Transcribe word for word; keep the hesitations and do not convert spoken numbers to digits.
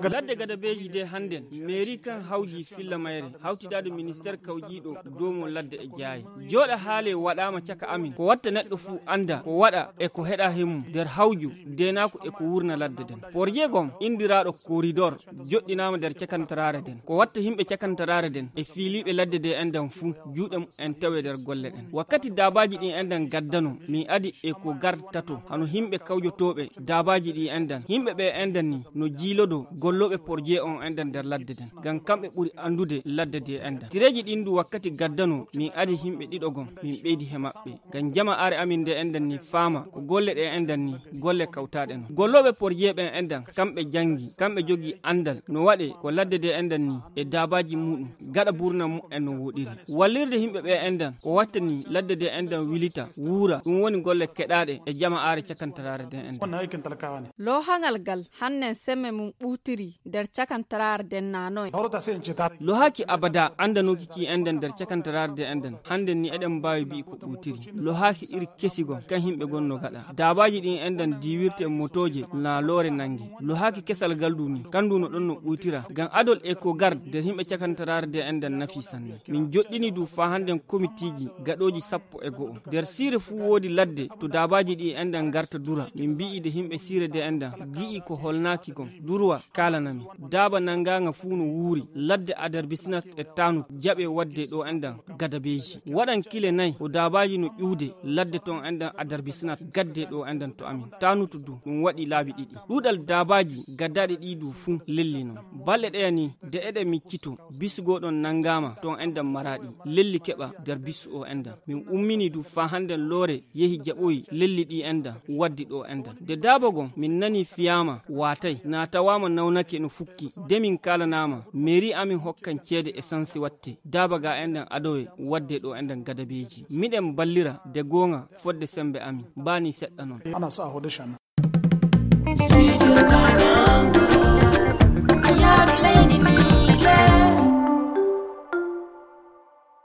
Ladde gadabeeji de hannden meeri kan hawji filla mayre hawtidaade ministeer kawjiiɗo doomo ladde e jaaye. Jooɗa haale waɗaama caka amin ko watta neɗɗo fuu annda ko waɗa e ko heɗa hemum nder hawju deenaaku e ko wurna ladde den. Porje gom inndiraaɗo koridor joɗɗinaama nder cakantaraare den ko watta himɓe cakantaraare den e fiiliiɓe ladde de endan fuu juuɗe en tawe nder golle ɗen. Wakkati daabaaji ɗin endan gaddano min adi e ko gartato hano himɓe kawjotooɓe daabaaji ɗi endan himɓe ɓe endan ni no jiilodo gollooɓe porje on endan nder ladde den ngam kamɓe ɓuri anndude ladde de endan tireeji ɗin du wakkati gaddano min adi himɓe ɗiɗo gon min ɓeydi he maɓɓe ngam jama are amin nde endan ni faama ko golle ɗe endan ni golle kawtaɗe no gollooɓe porje ɓen endan kamɓe jangi kamɓe jogi andal no waɗe ko ladde de endan ni e daabaaji muɗum gaɗa burna mu'en no woɗiri. Wallirde himɓe ɓe endan ko wattani ladde de endan wilita wuura ɗum woni golle keɗaɗe e jama are cakantaraare de endan. Loohangal gal hannen semme mum ɓuutiri nder cakantaraare den nanoy. Lohaaki abada andanooki ki endan nder cakantaraare de endan hannden ni eɗen mbaawi mbi'i ko ɓuutiri. Lohaaki iri kesigon kan himɓe gonno gaɗa daabaaji ɗin endan diiwirte motooje na loore nangi. Lohaaki kesal gal du ni kandu no ɗon no ɓuutira ngam adol e ko gar nder himɓe cakantaraare de endan nafi sanne. Min joɗɗini du faa hannden komitiiji gaɗooji sappo e go'o nder siire fuu woodi ladde to daabaaji ɗi endan ngarta dura min mbi'i de himɓe siire de endan gi'i ko holnaaki gon durwa kaalanami. Daaba nangaanga fuu no wuuri ladde adarbisinat e tanut jaɓe wadde ɗo endan gadabeeji waɗan kile nay ko daabaaji no ƴuude ladde ton endan adarbisinat gadde ɗo endan to amin tanutu du ɗum waɗi laabi ɗiɗi. Ɗuuɗal daabaaji gaddaɗi ɗi du fuu lelli non balɗe ɗeya ni de eɗe miccito bisugoɗon nangaama ton endan maraɗi lelli keɓa nder bisu o endan min ummini du faa hannden loore yehi jaɓoyi lelli ɗi endan waddi ɗo endan de daabagon min nani fiyaama waatay na tawaama nawnake no fukki de min kaalanaama meeri amin hokkan ceede e sansi watte daaba ga endan adowe wadde ɗo endan gadabeeji miɗen ballira de goonga fodde sembe amin mbaani seɗɗa non.